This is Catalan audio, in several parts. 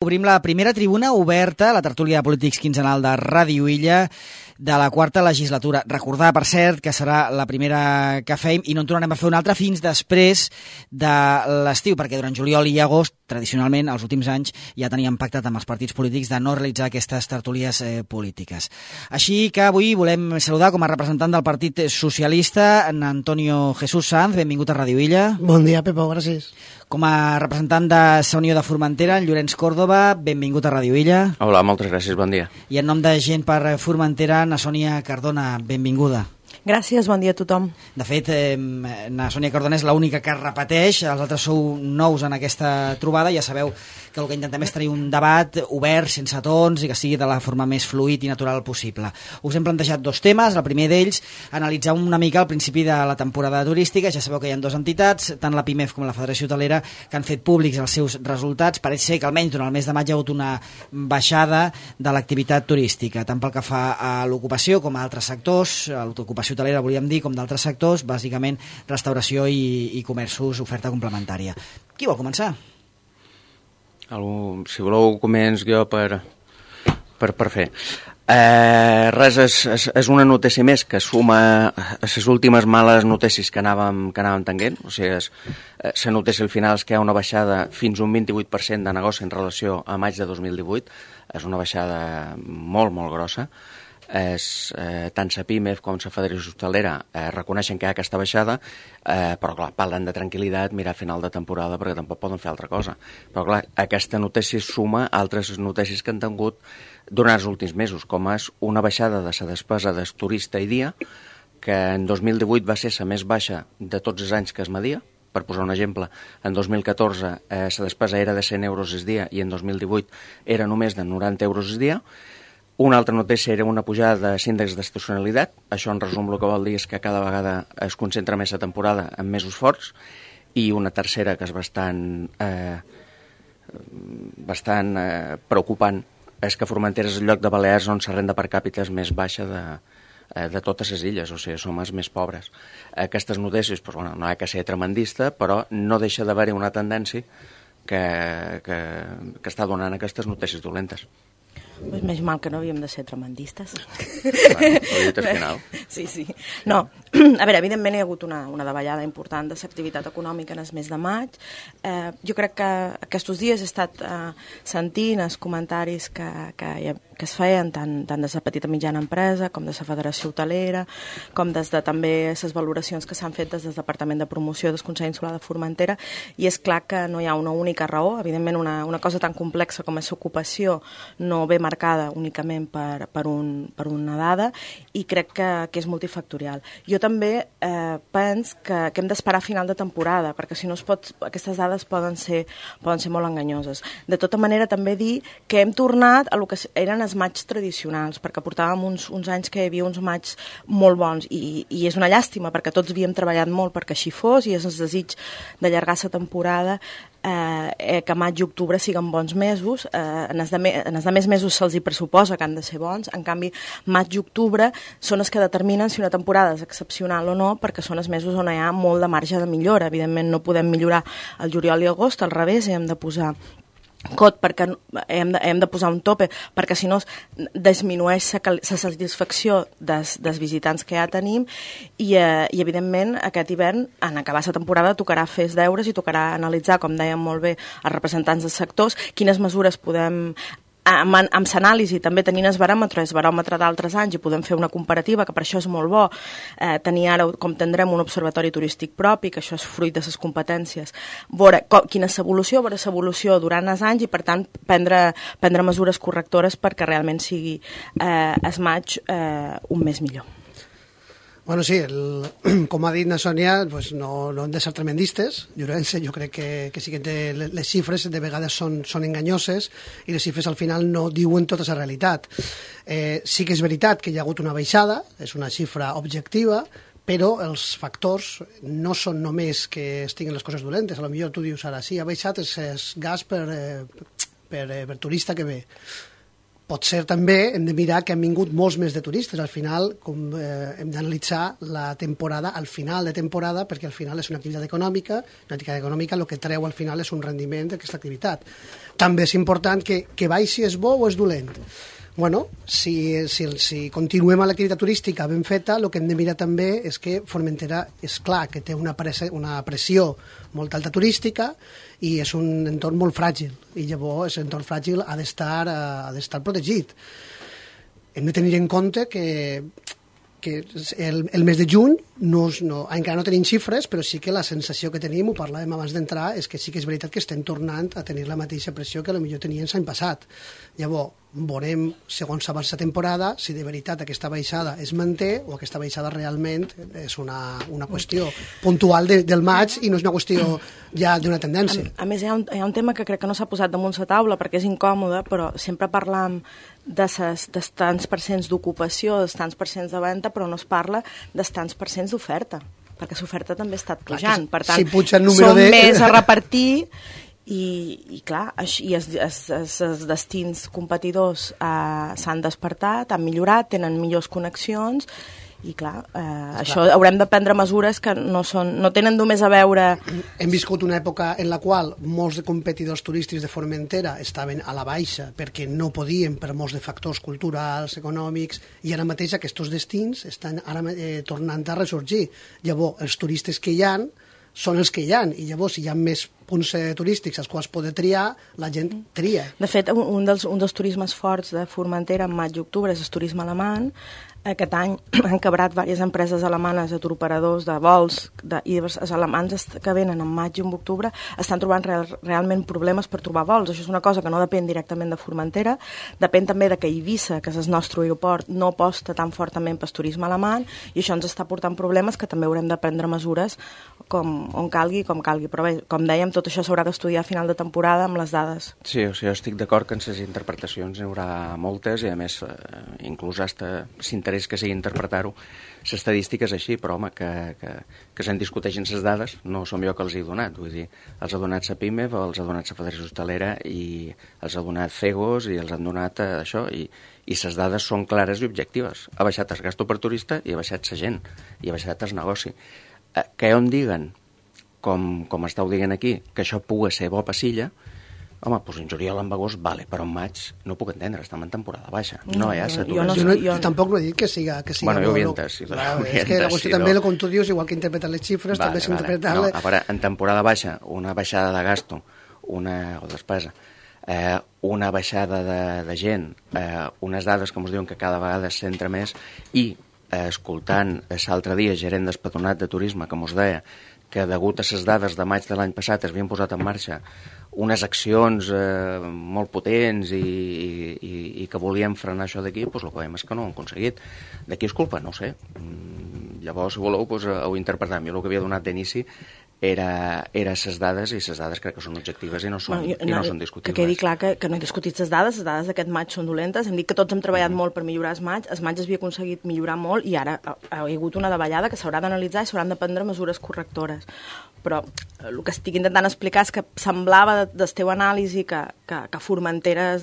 Obrim la primera tribuna oberta, la tertúlia de polítics quinzenal de Ràdio Illa, de la quarta legislatura. Recordar, per cert, que serà la primera que fem i no en tornarem a fer una altra fins després de l'estiu, perquè durant juliol i agost, tradicionalment, els últims anys, ja teníem pactat amb els partits polítics de no realitzar aquestes tertúlies polítiques. Així que avui volem saludar com a representant del Partit Socialista en Antonio Jesús Sanz. Benvingut a Ràdio Illa. Bon dia, Pepo, gràcies. Com a representant de Sa Unió de Formentera, en Llorenç Córdoba, benvingut a Ràdio Illa. Hola, moltes gràcies, bon dia. I en nom de Gent per Formentera, na Sònia Cardona, benvinguda. Gràcies, bon dia a tothom. De fet, na Sònia Cardona és l'única que repeteix, els altres sou nous en aquesta trobada, ja sabeu que el que intentem és tenir un debat obert, sense tons, i que sigui de la forma més fluid i natural possible. Us hem plantejat dos temes, el primer d'ells, analitzar una mica al principi de la temporada turística. Ja sabeu que hi ha dues entitats, tant la PIMEF com la Federació Hotelera, que han fet públics els seus resultats. Pareix ser que almenys durant el mes de maig hi ha hagut una baixada de l'activitat turística, tant pel que fa a l'ocupació com a altres sectors, a l'ocupació hotelera volíem dir, com d'altres sectors, bàsicament restauració i comerços, oferta complementària. Qui vol començar? Si voleu, començo jo per fer. Res, és una notícia més que suma a les últimes males notícies que anàvem tenint. O sigui, la notícia al final és que hi ha una baixada fins a un 28% de negoci en relació a maig de 2018. És una baixada molt, molt grossa. Tant la PIMEF com la Federació Hotelera reconeixen que hi ha aquesta baixada, però clar, parlen de tranquil·litat, mirar a final de temporada, perquè tampoc poden fer altra cosa. Però clar, aquesta notícia suma altres notícies que han tingut durant els últims mesos, com és una baixada de la despesa del turista i dia, que en 2018 va ser la més baixa de tots els anys que es media. Per posar un exemple, en 2014 la despesa era de 100 euros al dia i en 2018 era només de 90 euros al dia. Una altra notícia era una pujada de l'índex d'estacionalitat. Això, en resum, el que vol dir és que cada vegada es concentra més la temporada en mesos forts. I una tercera, que és bastant preocupant, és que Formentera és el lloc de Balears on la renda per càpita és més baixa de totes les illes, o sigui, som els més pobres. Aquestes notícies, doncs, bueno, no ha que ser tremendista, però no deixa d'haver-hi una tendència que està donant aquestes notícies dolentes. Pues més mal que no havíem de ser tremendistes. Bueno, ho he dit al final. Sí. No, a veure, evidentment hi ha hagut una davallada important de l'activitat econòmica en el mes de maig. Jo crec que aquests dies he estat sentint els comentaris que es feien tant de la petita i mitjana empresa com de la Federació Hotelera, com des de també les valoracions que s'han fet des del Departament de Promoció del Consell Insular de Formentera, i és clar que no hi ha una única raó. Evidentment, una cosa tan complexa com és l'ocupació no ve marcada únicament per una dada, i crec que és multifactorial. Jo també penso que hem d'esperar a final de temporada, perquè si no aquestes dades poden ser molt enganyoses. De tota manera, també dir que hem tornat a lo que eren els matxs tradicionals, perquè portàvem uns anys que hi havia uns matxs molt bons, i és una llàstima, perquè tots havíem treballat molt perquè així fos, i és el desig d'allargar la temporada, que maig i octubre siguin bons mesos. En els demés mesos se'ls hi pressuposa que han de ser bons. En canvi, maig i octubre són els que determinen si una temporada és excepcional o no, perquè són els mesos on hi ha molt de marge de millora. Evidentment no podem millorar el juliol i agost, al revés, hem de posar perquè hem de posar un tope, perquè si no disminueix la satisfacció dels visitants que ja tenim, i evidentment aquest hivern, en acabar la temporada, tocarà fer els deures i tocarà analitzar, com deien molt bé els representants dels sectors, quines mesures podem, amb l'anàlisi també tenint el baròmetre d'altres anys, i podem fer una comparativa, que per això és molt bo tenir ara, com tindrem un observatori turístic propi, que això és fruit de les competències, veure quina és l'evolució durant els anys, i per tant prendre mesures correctores perquè realment sigui el maig un mes millor. Bueno, sí, com ha dit na Sònia, pues no hem de ser tremendistes. Jo crec que sí que les xifres de vegades són enganyoses, i les xifres al final no diuen tota la realitat. Sí que és veritat que hi ha hagut una baixada, és una xifra objectiva, però els factors no són només que estiguin les coses dolentes. A lo millor tu dius ara, sí, ha baixat el gas per turista que ve. Potser també hem de mirar que han vingut molts més de turistes. Al final hem d'analitzar la temporada al final de temporada, perquè al final és una activitat econòmica, el que treu al final és un rendiment d'aquesta activitat. També és important que baixi és bo o és dolent. Bueno, si continuem a l'activitat turística ben feta, el que hem de mirar també és que Formentera, és clar que té una pressió molt alta turística i és un entorn molt fràgil, i llavors aquest entorn fràgil ha d'estar protegit. Hem de tenir en compte que el mes de juny encara no tenim xifres, però sí que la sensació que tenim, ho parlàvem abans d'entrar, és que sí que és veritat que estem tornant a tenir la mateixa pressió que potser tenien l'any passat. Llavors, veurem, segons avança la temporada, si de veritat aquesta baixada es manté o aquesta baixada realment és una qüestió puntual del maig i no és una qüestió ja d'una tendència. A més, hi ha un tema que crec que no s'ha posat damunt la taula perquè és incòmode, però sempre parlam dels tants percents d'ocupació, dels tants percents de venda, però no es parla dels tants percents d'oferta, perquè l'oferta també ha estat pujant. Per tant, som més a repartir i clar, els destins competidors s'han despertat, han millorat, tenen millors connexions i clar, això haurem de prendre mesures que no tenen només a veure... Hem viscut una època en la qual molts de competidors turístics de Formentera estaven a la baixa perquè no podien per molts de factors culturals, econòmics, i ara mateix aquests destins estan ara tornant a ressorgir. Llavors, els turistes que hi ha són els que hi ha, i llavors si hi ha més punts turístics als quals poder triar, la gent tria. De fet, un dels turismes forts de Formentera en maig i octubre és el turisme alemany. Aquest any han quebrat diverses empreses alemanes de turoperadors, de vols, i els alemans que venen en maig i en octubre estan trobant realment problemes per trobar vols. Això és una cosa que no depèn directament de Formentera, depèn també de que Eivissa, que és el nostre aeroport, no aposta tan fortament pel turisme alemany, i això ens està portant problemes que també haurem de prendre mesures on calgui, com calgui. Però bé, com dèiem, tot això s'haurà d'estudiar a final de temporada amb les dades. Sí, o sigui, estic d'acord que en les interpretacions n'hi haurà moltes, i a més, inclús s'interès que sigui interpretar-ho, l'estadística és així, però home, que se'n discuteixin les dades, no som jo que els he donat, vull dir, els ha donat la PIMEF, els ha donat la Federació Hostalera, i els ha donat CEGOS, i els han donat això, i les dades són clares i objectives. Ha baixat el gasto per turista i ha baixat la gent, i ha baixat el negoci. Que on diguen, com estàu dient aquí, que això pugui ser bo passilla, home, doncs en juliol en agost, vale, però en maig no ho puc entendre, estem en temporada baixa. No hi ha saturació. Jo tampoc no he dit que siga bueno, jo ho he entès. És que la qüestió també, com tu dius, igual que interpretar les xifres, també s'interpreta... No, a veure, en temporada baixa, una baixada de gasto, o despesa, una baixada de gent, unes dades que ens diuen que cada vegada es centra més, i escoltant l'altre dia gerent del Patronat de Turisme que ens deia que degut a les dades de maig de l'any passat es havien posat en marxa unes accions molt potents i que volien frenar això d'aquí, doncs el que veiem és que no ho han aconseguit. De qui és culpa? No ho sé. Llavors, si voleu, ho interpretem. Jo el que havia donat d'inici era les dades, i les dades crec que són objectives i no són discutibles. Que quedi clar que no he discutit les dades d'aquest maig són dolentes. Hem dit que tots hem treballat molt per millorar el maig es havia aconseguit millorar molt i ara ha hagut una davallada que s'haurà d'analitzar i s'hauran de prendre mesures correctores. Però el que estic intentant explicar és que semblava del teu anàlisi que Formentera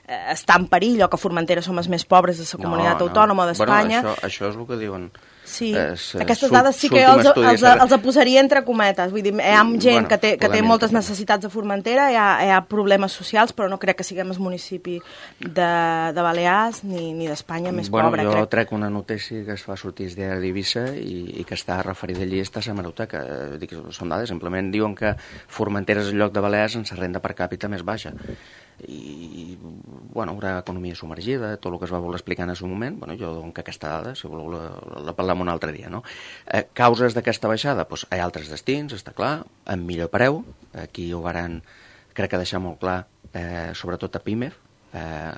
està en perill, o que Formentera som els més pobres de la comunitat autònoma d'Espanya. Bueno, això és el que diuen. Sí, aquestes dades sí que jo els posaria entre cometes. Vull dir, hi ha gent que té moltes necessitats de Formentera, hi ha problemes socials, però no crec que siguem el municipi de Balears ni d'Espanya més pobre. Jo trec una notícia que es fa sortir des d'Eivissa i que està referida allí, està a la hemeroteca. Són dades, simplement diuen que Formentera és el lloc de Balears en la renda per càpita més baixa. I bueno, haurà economia submergida, tot el que es va voler explicar en el moment. Jo dono aquesta dada, si voleu la parlem un altre dia, no? Causes d'aquesta baixada? Doncs hi ha altres destins, està clar, amb millor preu, aquí ho varen, crec que deixar molt clar, sobretot a PIMEF,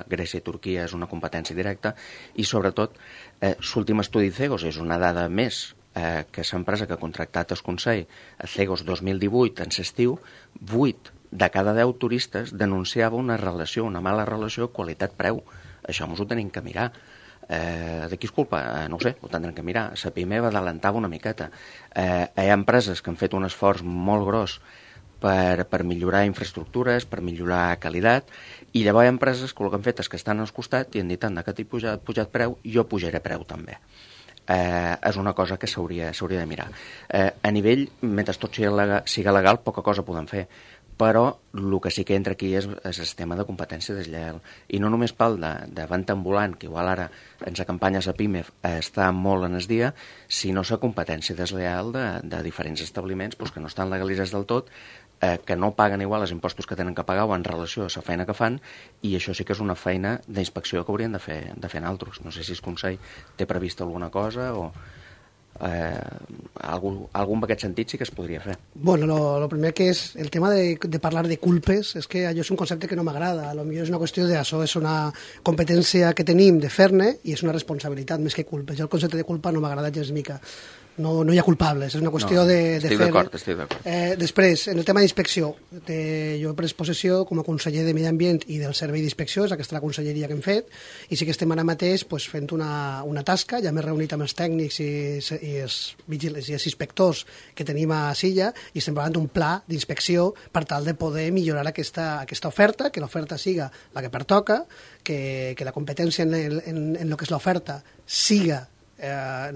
Grècia i Turquia és una competència directa, i sobretot l'últim estudi CEGOS és una dada més que l'empresa que ha contractat el Consell, a CEGOS 2018, en l'estiu, 8 de cada 10 turistes denunciava una mala relació qualitat-preu. Això ens ho tenim que mirar. De qui és culpa? No ho sé, ho tindrem que mirar. La PIMEF adelantava una miqueta. Hi ha empreses que han fet un esforç molt gros per millorar infraestructures, per millorar qualitat, i llavors hi ha empreses que el que han fet és que estan al costat i han dit, anda, que t'he pujat preu, jo pujaré preu també. És una cosa que s'hauria de mirar. A nivell, mentre tot siga legal, poca cosa podem fer, però el que sí que entra aquí és el sistema de competència deslleial. I no només pel de venda ambulant, que igual ara en la campanya a PIME està molt en el dia, sinó la competència deslleial de diferents establiments que no estan legalitzats del tot, que no paguen igual els impostos que tenen que pagar o en relació a la feina que fan, i això sí que és una feina d'inspecció que haurien de fer en altres. No sé si el Consell té previst alguna cosa o... algun en aquest sentit sí que es podria fer. Bueno, lo primer que és el tema de parlar de culpes, és que allò és un concepte que no m'agrada. Potser és una qüestió d'això, és una competència que tenim de fer-ne i és una responsabilitat més que culpes. Jo el concepte de culpa no m'agrada gens mica. No hi ha culpables, és una qüestió de fer... Estic d'acord. Després, en el tema d'inspecció, jo he pres possessió com a conseller de Medi Ambient i del Servei d'Inspecció, és aquesta la conselleria que hem fet, i sí que estem ara mateix fent una tasca, ja m'he reunit amb els tècnics i els inspectors que tenim a Silla, i estem parlant d'un pla d'inspecció per tal de poder millorar aquesta oferta, que l'oferta siga la que pertoca, que la competència en el que és l'oferta siga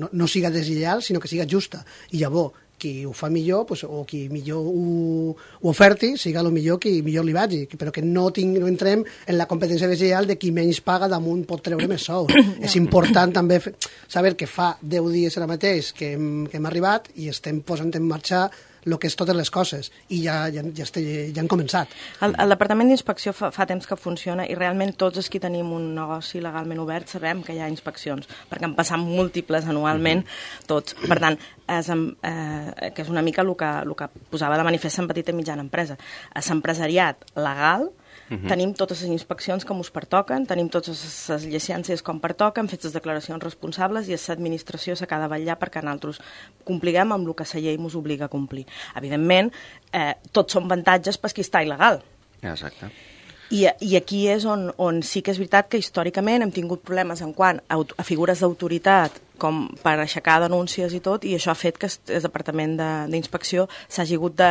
no siga deslleial, sinó que siga justa. I llavors, qui ho fa millor, o qui millor ho oferti, siga el millor qui millor li vagi, però que no entrem en la competència deslleial de qui menys paga damunt pot treure més sou. És important també saber que fa 10 dies ara mateix que hem arribat i estem posant en marxa el que és totes les coses, i ja han començat. El Departament d'Inspecció fa temps que funciona i realment tots els que tenim un negoci legalment obert sabem que hi ha inspeccions, perquè en passen múltiples anualment tots. Per tant, que és una mica el que posava de manifest en petita i mitjana empresa. A l'empresariat legal tenim totes les inspeccions com us pertoquen, tenim totes les llicències com pertoquen, fets les declaracions responsables, i l'administració s'ha de vetllar perquè nosaltres compliguem amb el que la llei ens obliga a complir. Evidentment, tots són avantatges per qui està il·legal. Exacte. I aquí és on sí que és veritat que històricament hem tingut problemes en quant a figures d'autoritat com per aixecar denúncies i tot, i això ha fet que el Departament d'Inspecció s'hagi hagut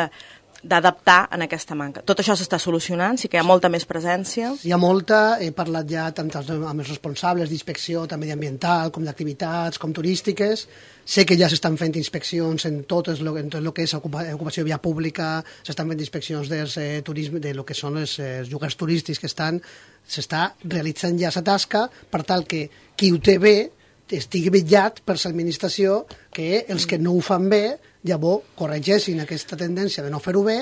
d'adaptar en aquesta manca. Tot això s'està solucionant, sí que hi ha molta més presència. Hi ha molta, he parlat ja tant amb els responsables d'inspecció, tant mediambiental, com d'activitats, com turístiques. Sé que ja s'estan fent inspeccions en tot el que és ocupació de via pública, s'estan fent inspeccions del turisme, de lo que són els llocs turístics que s'està realitzant ja la tasca per tal que qui ho té bé estigui vetllat per l'administració, que els que no ho fan bé llavors corregeixin aquesta tendència de no fer-ho bé,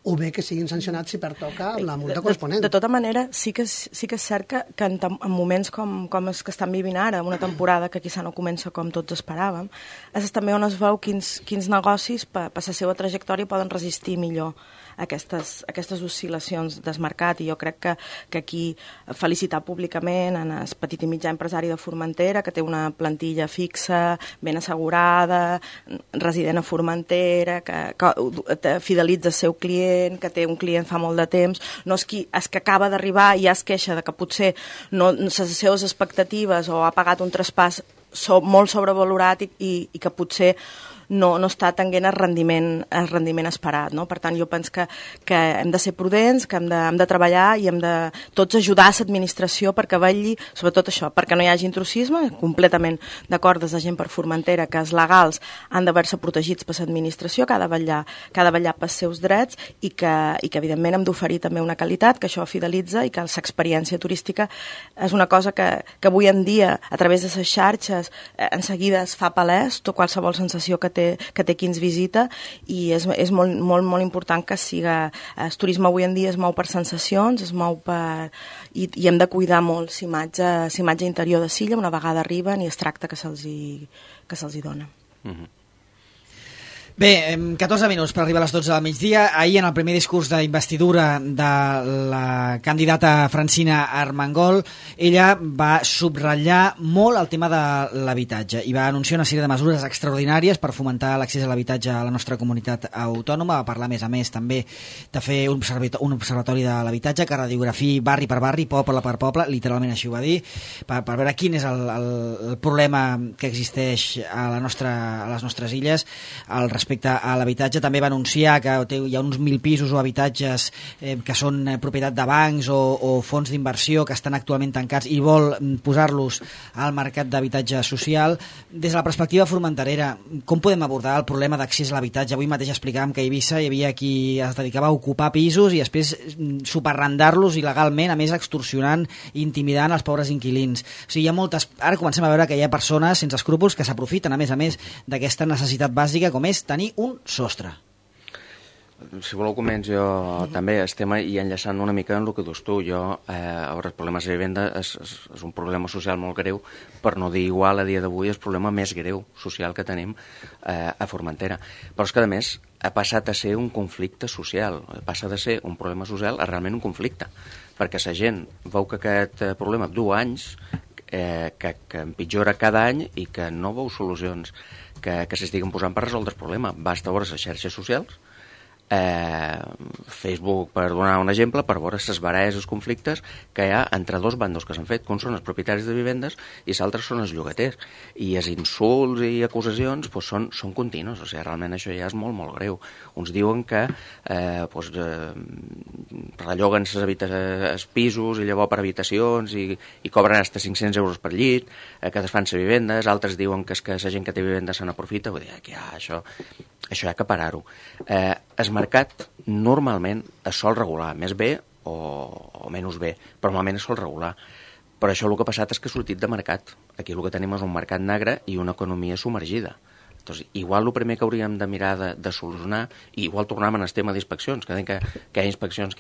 o bé que siguin sancionats si pertoca amb la multa corresponent. De tota manera, sí que és cert que en moments com els que estan vivint ara, una temporada que quizà no comença com tots esperàvem, és també on es veu quins negocis per la seva trajectòria poden resistir millor aquestes oscil·lacions del mercat, i jo crec que aquí felicitar públicament en el petit i mitjà empresari de Formentera, que té una plantilla fixa, ben assegurada, resident a Formentera, que fidelitza el seu client, que té un client fa molt de temps, no és que acaba d'arribar i ja es queixa de que potser les seves expectatives o ha pagat un traspàs molt sobrevalorat i que potser no està tenint el rendiment esperat, no? Per tant, jo penso que hem de ser prudents, que hem de treballar i hem de tots ajudar a l'administració perquè vetlli, sobretot això, perquè no hi hagi intrusisme, completament d'acord des de gent per Formentera, que els legals han d'haver-se protegits per l'administració, que ha de vetllar pels seus drets i que evidentment hem d'oferir també una qualitat, que això fidelitza i que l'experiència turística és una cosa que avui en dia, a través de les xarxes, en seguida es fa palès, qualsevol sensació que té qui ens visita, i és molt, molt, molt important que siga... El turisme avui en dia es mou per sensacions, es mou per... I hem de cuidar molt l'imatge interior de Silla una vegada arriben i es tracta que se'ls hi dona. Bé, 14 minuts per arribar a les 12 del migdia. Ahir, en el primer discurs d'investidura de la candidata Francina Armengol, ella va subratllar molt el tema de l'habitatge i va anunciar una sèrie de mesures extraordinàries per fomentar l'accés a l'habitatge a la nostra comunitat autònoma. Va parlar, a més també de fer un observatori de l'habitatge que radiografi barri per barri, poble per poble, literalment així ho va dir, per veure quin és el problema que existeix a les nostres illes al respecte respecte a l'habitatge també va anunciar que hi ha uns 1.000 pisos o habitatges que són propietat de bancs o fons d'inversió que estan actualment tancats i vol posar-los al mercat d'habitatge social. Des de la perspectiva formenterera, com podem abordar el problema d'accés a l'habitatge? Avui mateix explicàvem que a Eivissa hi havia qui es dedicava a ocupar pisos i després superarrendar-los il·legalment, a més extorsionant i intimidant els pobres inquilins. O sigui, hi ha moltes... Ara comencem a veure que hi ha persones sense escrúpols que s'aprofiten, a més, d'aquesta necessitat bàsica com és tenir un sostre. Si voleu començo jo també, estem i enllaçant una mica en el que dius tu. Els problemes de vivenda és un problema social molt greu, per no dir igual a dia d'avui el problema més greu social que tenim a Formentera. Però és que a més ha passat a ser un conflicte social, passa de ser un problema social a realment un conflicte, perquè la gent veu que aquest problema du anys, que empitjora cada any i que no veu solucions que s'estiguen posant per resoldre el problema. Basta veure les xarxes socials, Facebook, per donar un exemple, per veure les baralles, els conflictes que hi ha entre dos bandos que s'han fet, que uns són els propietaris de vivendes i els altres són els llogaters. I els insults i acusacions són continus, o sigui, realment això ja és molt, molt greu. Uns diuen que relloguen els pisos i llavors per habitacions i cobren fins a 500 euros per llit, que desfan les vivendes, altres diuen que és que la gent que té vivendes se n'aprofita, vull dir que això hi ha que parar-ho. El mercat normalment es sol regular, més bé o menys bé, però normalment es sol regular. Però això el que ha passat és que ha sortit de mercat. Aquí el que tenim és un mercat negre i una economia submergida. Entonces, igual el primer que hauríem de mirar de solucionar, i igual tornem al tema d'inspeccions, que hi ha inspeccions,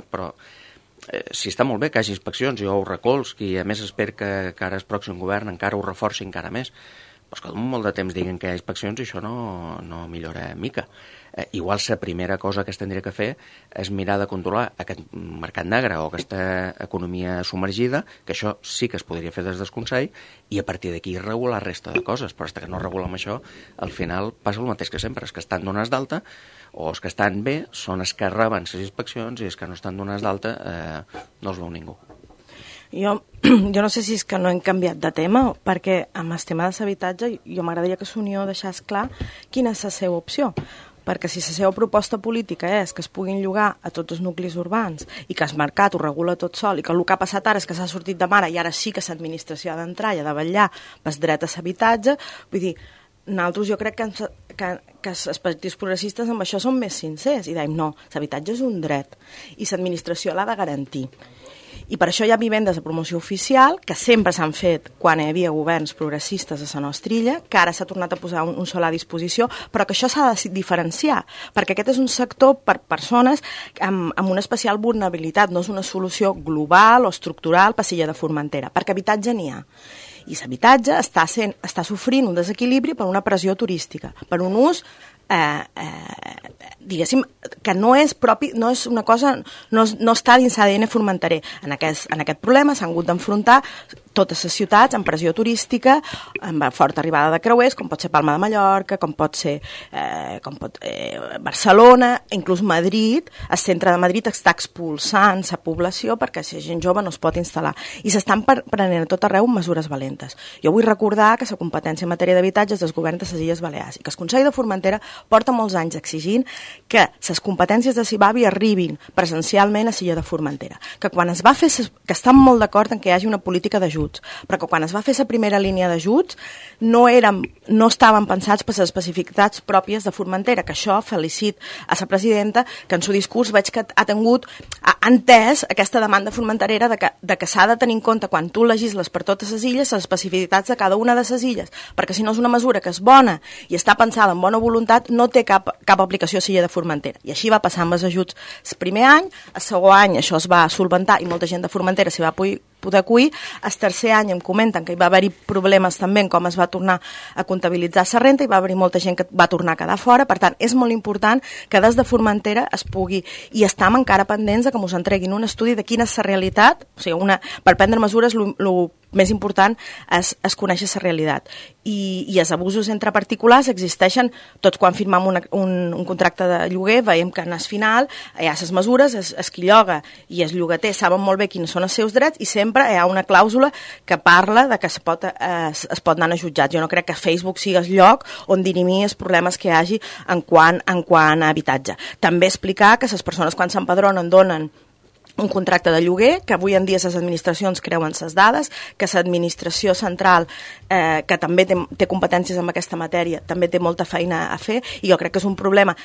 però si està molt bé que hi hagi inspeccions, jo ho recolzo, i a més espero que ara el pròxim govern encara ho reforci encara més. Però és que molt de temps diguen que hi ha inspeccions i això no millora mica. Igual la primera cosa que es tindria que fer és mirar de controlar aquest mercat negre o aquesta economia submergida, que això sí que es podria fer des del Consell, i a partir d'aquí regular la resta de coses. Però fins que no regulem això, al final passa el mateix que sempre, els que estan donats d'alta o els que estan bé són els que reben les inspeccions i els que no estan donats d'alta no els veu ningú. Jo no sé si és que no hem canviat de tema, perquè amb el tema de l'habitatge jo m'agradaria que l'Unió deixés clar quina és la seva opció, perquè si la seva proposta política és que es puguin llogar a tots els nuclis urbans i que el mercat ho regula tot sol i que el que ha passat ara és que s'ha sortit de mare i ara sí que l'administració ha d'entrar i ha de vetllar pel dret a l'habitatge, vull dir, nosaltres jo crec que els partits progressistes amb això són més sincers i dèiem no, l'habitatge és un dret i l'administració l'ha de garantir. I per això hi ha vivendes de promoció oficial que sempre s'han fet quan hi havia governs progressistes a la nostra illa, que ara s'ha tornat a posar un solar a disposició, però que això s'ha de diferenciar, perquè aquest és un sector per persones amb una especial vulnerabilitat, no és una solució global o estructural per l'illa de Formentera, perquè habitatge n'hi ha. I l'habitatge està sofrint un desequilibri per una pressió turística, per un ús diguéssim, que no és propi, no és una cosa, no està dins l'ADN formenterer. En aquest problema s'han hagut d'enfrontar totes les ciutats amb pressió turística, amb forta arribada de creuers, com pot ser Palma de Mallorca, com pot ser Barcelona, inclús Madrid. El centre de Madrid està expulsant la població perquè la gent jove no es pot instal·lar. I s'estan prenent a tot arreu mesures valentes. Jo vull recordar que la competència en matèria d'habitatge és del govern de les Illes Balears i que el Consell de Formentera porta molts anys exigint que les competències de Cibavi arribin presencialment a l'illa de Formentera. Que quan es va fer, que estan molt d'acord en que hi hagi una política d'ajuts, però que quan es va fer la primera línia d'ajuts no estaven pensats per les especificitats pròpies de Formentera, que això felicit a la presidenta, que en el seu discurs veig que ha entès aquesta demanda formenterera de que s'ha de tenir en compte quan tu legisles per totes les illes les especificitats de cada una de les illes, perquè si no és una mesura que és bona i està pensada amb bona voluntat, no té cap aplicació a l'illa de Formentera. I així va passar amb els ajuts el primer any, el segon any això es va solventar i molta gent de Formentera s'hi va poder acollir. El tercer any em comenten que hi va haver-hi problemes també en com es va tornar a comptabilitzar la renta i va haver-hi molta gent que va tornar a quedar fora. Per tant, és molt important que des de Formentera es pugui, i estem encara pendents de que ens entreguin un estudi de quina és la realitat, o sigui, per prendre mesures més important és conèixer la realitat. I els abusos entre particulars existeixen tots quan firmem un contracte de lloguer, veiem que en el final hi ha les mesures, es qui lloga i els llogaters saben molt bé quins són els seus drets i sempre hi ha una clàusula que parla de que es pot anar a jutjats. Jo no crec que Facebook sigui el lloc on dirimir els problemes que hi hagi en quant a habitatge. També explicar que les persones quan s'empadronen donen un contracte de lloguer, que avui en dia les administracions creuen les dades, que l'administració central, que també té competències en aquesta matèria, també té molta feina a fer, i jo crec que és un problema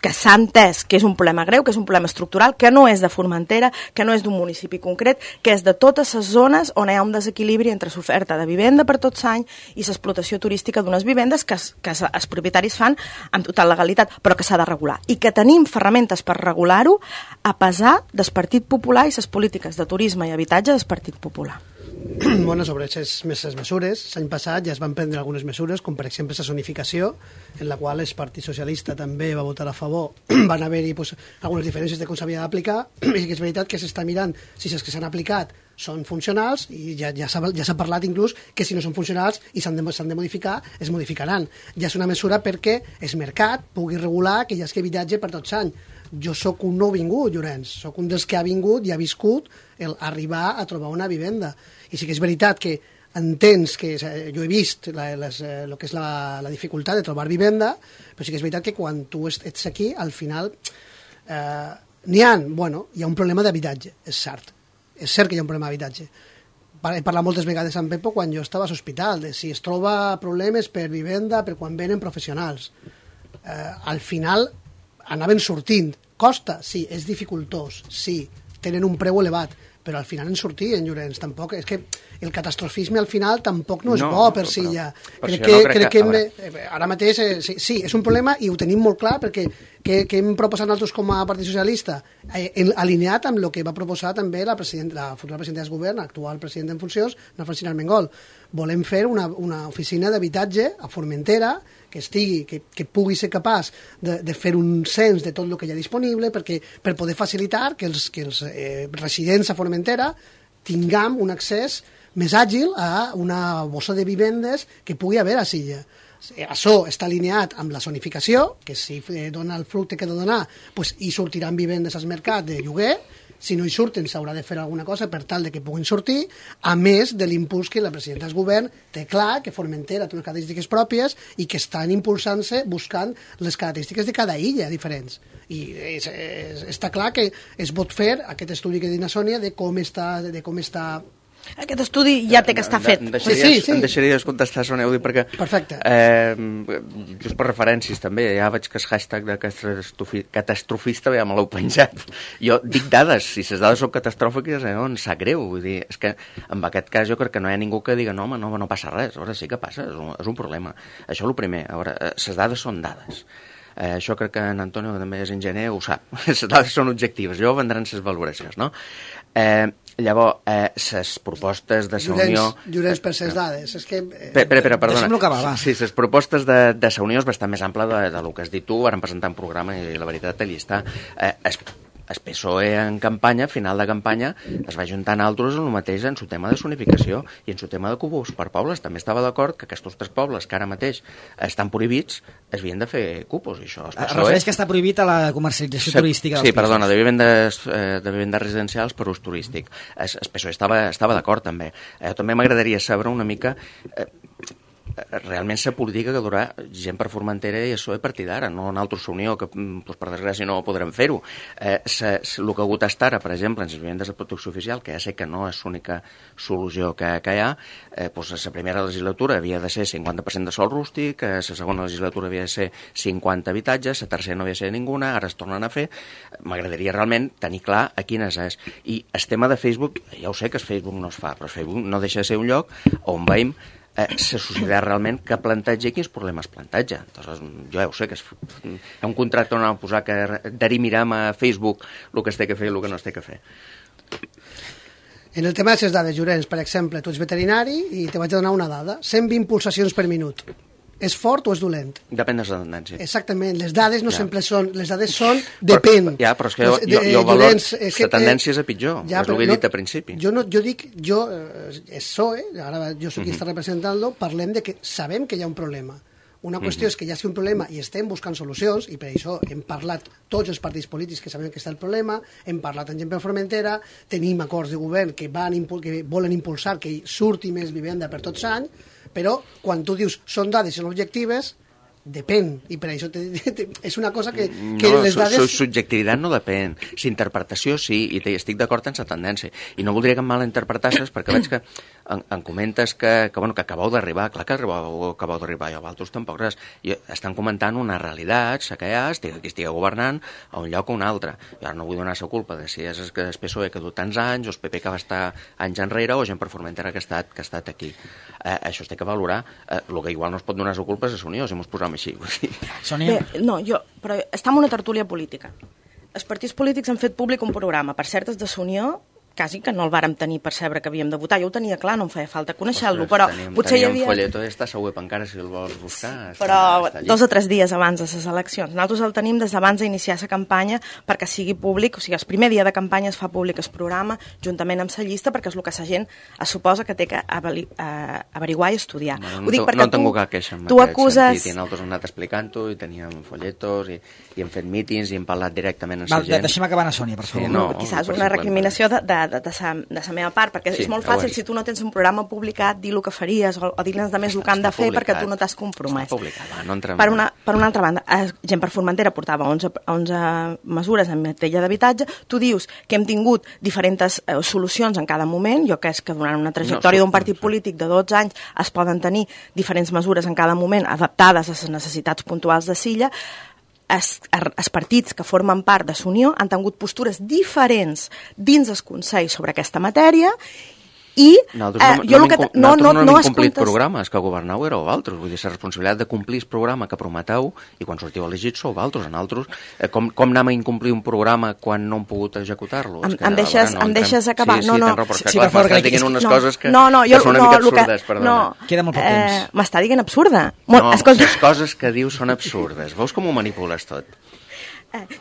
que s'ha entès que és un problema greu, que és un problema estructural, que no és de Formentera, que no és d'un municipi concret, que és de totes les zones on hi ha un desequilibri entre l'oferta de vivenda per tot l'any i l'explotació turística d'unes vivendes que els propietaris fan amb total legalitat, però que s'ha de regular. I que tenim ferramentes per regular-ho a pesar del Partit Popular i les polítiques de turisme i habitatge del Partit Popular. Bueno, sobre aquestes mesures, l'any passat ja es van prendre algunes mesures, com per exemple la zonificació, en la qual el Partit Socialista també va votar a favor. Van haver-hi algunes diferències de com s'havia d'aplicar, i que és veritat que s'està mirant si els que s'han aplicat són funcionals, i ja s'ha parlat inclús que si no són funcionals i s'han de modificar, es modificaran. Ja és una mesura perquè el mercat pugui regular que hi hagi habitatge per tot l'any. Jo sóc un no vingut, Llorenç, sóc un dels que ha vingut i ha viscut arribar a trobar una vivenda. I sí que és veritat que entens que jo he vist el que és la dificultat de trobar vivenda, però sí que és veritat que quan tu ets aquí, al final hi ha un problema d'habitatge, és cert que hi ha un problema d'habitatge. He parlat moltes vegades amb Pepo quan jo estava a l'hospital, de si es troba problemes per vivenda, per quan venen professionals. Al final anaven sortint. Costa? Sí. És dificultós? Sí. Tenen un preu elevat, però al final en sortien, Llorenç. Tampoc, és que el catastrofisme al final tampoc no és bo per si ja. Crec que ara mateix sí, és un problema i ho tenim molt clar perquè que hem proposat nosaltres com a Partit Socialista, alineat amb el que va proposar també la futura presidenta del govern, actual presidenta en funcions, la Francina Armengol. Volem fer una oficina d'habitatge a Formentera que pugui ser capaç de fer un cens de tot el que hi ha disponible per poder facilitar que els residents a Formentera tinguem un accés més àgil a una bossa de vivendes que pugui haver a Silla. Això està alineat amb la zonificació, que si dona el fructe que ha de donar, hi sortiran vivendes al mercat de lloguer. Si no hi surten, s'haurà de fer alguna cosa per tal de que puguin sortir, a més de l'impuls que la presidenta del govern té clar que Formentera té unes característiques pròpies i que estan impulsant-se buscant les característiques de cada illa diferents. I està clar que es pot fer aquest estudi que diu Sònia de com està Aquest estudi ja té que estar fet. Em deixaries contestar, Sònia, ho dic perquè... Perfecte. Just per referències, també, ja veig que el hashtag de catastrofista ja me l'heu penjat. Jo dic dades, si les dades són catastròfiques, em sap greu. Vull dir, és que en aquest cas jo crec que no hi ha ningú que digui no passa res. A veure, sí que passa, és un problema. Això és el primer. A veure, les dades són dades. Això crec que en Antonio, que també és enginyer, ho sap. Les dades són objectives, jo vendran les valoracions, no? Llavors, les propostes de la Unió... Llorenç, per les dades, és que... Perdona. Deixem-lo acabar, va. Sí, les propostes de la Unió és bastant més ampla del que has dit tu, varen presentar un programa i la veritat allà està. El PSOE en campanya, final de campanya, es va juntar en altres en el mateix en su tema de zonificació i en su tema de cubos per pobles. També estava d'acord que aquests tres pobles que ara mateix estan prohibits es havien de fer cupos. I això, es refereix que està prohibit a la comercialització turística dels pisos. Sí, perdona, de vivendes residencials per ús turístic. El PSOE estava d'acord també. També m'agradaria saber una mica... realment la política que durà gent per Formentera i això és partir d'ara, no en altres Unió, que per desgràcia no podrem fer-ho. El que ha hagut estar, per exemple, en les vivendes de protecció oficial, que ja sé que no és l'única solució que hi ha, la primera legislatura havia de ser 50% de sòl rústic, la segona legislatura havia de ser 50 habitatges, la tercera no havia de ser ninguna, ara es tornen a fer. M'agradaria realment tenir clar a quines és. I el tema de Facebook, ja ho sé que el Facebook no es fa, però el Facebook no deixa de ser un lloc on veiem la societat realment que planteja i quins problemes planteja. Entonces, jo ja ho sé que és un contracte on han posat que derimirem a Facebook el que es té que fer i el que no es té que fer. En el tema de les dades, Llorenç, per exemple, tu ets veterinari i te vaig a donar una dada, 120 pulsacions per minut. és fort o és dolent? Depèn de la tendència. Exactament, les dades no sempre són... Les dades són... Depèn. Però és que jo valor... La tendència és a pitjor, és el que he dit al principi. Jo dic, és PSOE, ara jo soc qui està representant-lo, parlem de que sabem que hi ha un problema. Una qüestió és que hi hagi un problema i estem buscant solucions, i per això hem parlat tots els partits polítics que sabem que està el problema, hem parlat amb gent per Formentera, tenim acords de govern que volen impulsar que surti més vivenda per tots anys, però quan tu dius són dades i són objectives, depèn, i per això és una cosa que les dades... No, subjectivitat no depèn, l'interpretació sí, i estic d'acord amb la tendència, i no voldria que mal interpretasses, perquè veig que em comentes que acabeu d'arribar, clar que acabeu d'arribar, i vosaltres tampoc res, i estan comentant una realitat, la que hi ha, qui estigui governant a un lloc o un altre, i ara no vull donar la culpa de si és el PSOE que ha dut tants anys, o el PP que va estar anys enrere, o gent per Formentera que ha estat aquí. Això es té que valorar, el que igual no es pot donar la culpa és a Unió, si mos posam així. Sònia? No, però està en una tertúlia política. Els partits polítics han fet públic un programa, per cert, és de Unió, quasi que no el vàrem tenir per saber que havíem de votar. Jo ho tenia clar, no em feia falta conèixer-lo, però potser hi havia... Teníem folleto, està a web encara, si el vols buscar. Però 2 o 3 dies abans de les eleccions. Nosaltres el tenim des d'abans d'iniciar la campanya perquè sigui públic, o sigui, el primer dia de campanya es fa públic el programa, juntament amb la llista, perquè és el que la gent es suposa que té que averiguar i estudiar. No tengo cap queixa en aquest sentit, i nosaltres hem anat explicant-ho, i teníem folletos, i hem fet mítings, i hem parlat directament amb la gent. Deixem acabar a Sònia, per favor. Quizás una recriminació de la meva part, perquè és molt fàcil si tu no tens un programa publicat, dir el que faries o dir-los de més el que han de fer perquè tu no t'has compromès. Per una altra banda, gent per Formentera portava 11 mesures en matèria d'habitatge, tu dius que hem tingut diferents solucions en cada moment, jo crec que durant una trajectòria d'un partit polític de 12 anys es poden tenir diferents mesures en cada moment adaptades a les necessitats puntuals de Silla. Els partits que formen part de l'Unió han tingut postures diferents dins el Consell sobre aquesta matèria i nosaltres no hem complit programes que governeu éreu vosaltres, vull dir, la responsabilitat de complir el programa que prometeu i quan sortiu elegits sou vosaltres, com anem a incomplir un programa quan no hem pogut executar-lo? Em deixes acabar? Sí, per favor, que diguin unes coses que són una mica absurdes, perdona. Queda molt poc temps. M'està dient absurda? No, les coses que dius són absurdes, veus com ho manipules tot?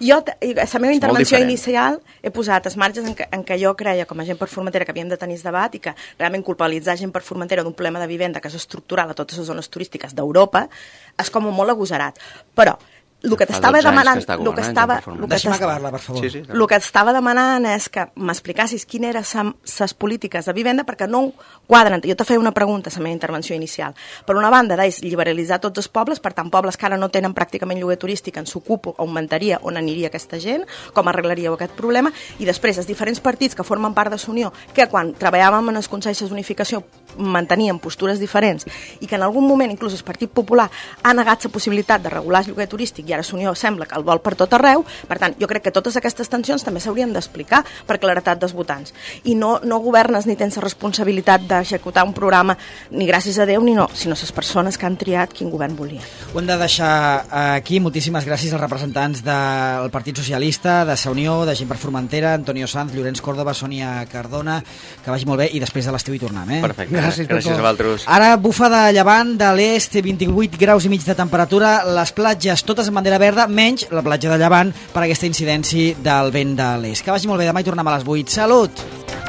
Jo, a la meva intervenció inicial he posat els marges en què jo creia com a gent per Formentera que havíem de tenir el debat i que realment culpabilitzar gent per Formentera d'un problema de vivenda que és estructural a totes les zones turístiques d'Europa és com molt agosarat. Però el que t'estava demanant... Deixa'm acabar-la, per favor. El que t'estava demanant és que m'explicassis quines eren les polítiques de vivenda perquè no quadren. Jo te feia una pregunta a la meva intervenció inicial. Per una banda, deies liberalitzar tots els pobles, per tant, pobles que ara no tenen pràcticament lloguer turístic, en s'ocupo, augmentaria on aniria aquesta gent, com arreglaríeu aquest problema, i després els diferents partits que formen part de l'Unió, que quan treballàvem en els consells d'unificació mantenien postures diferents i que en algun moment inclús el Partit Popular ha negat la possibilitat de regular el lloguer turístic i ara l'Unió sembla que el vol per tot arreu. Per tant, jo crec que totes aquestes tensions també s'haurien d'explicar per claretat dels votants. I no governes ni tens la responsabilitat d'executar un programa ni gràcies a Déu ni no, sinó les persones que han triat quin govern volia. Ho hem de deixar aquí. Moltíssimes gràcies als representants del Partit Socialista, de la Unió, de Gent per Formentera, Antonio Sanz, Llorenç Córdoba, Sònia Cardona, que vagi molt bé i després de l'estiu hi tornem. Perfecte, gràcies a vosaltres. Ara bufa de llevant de l'est, 28 graus i mig de temperatura, les platges totes en bandera verda, menys la platja de Llevant per aquesta incidència del vent de l'est. Que vagi molt bé, demà hi tornem a les 8. Salut!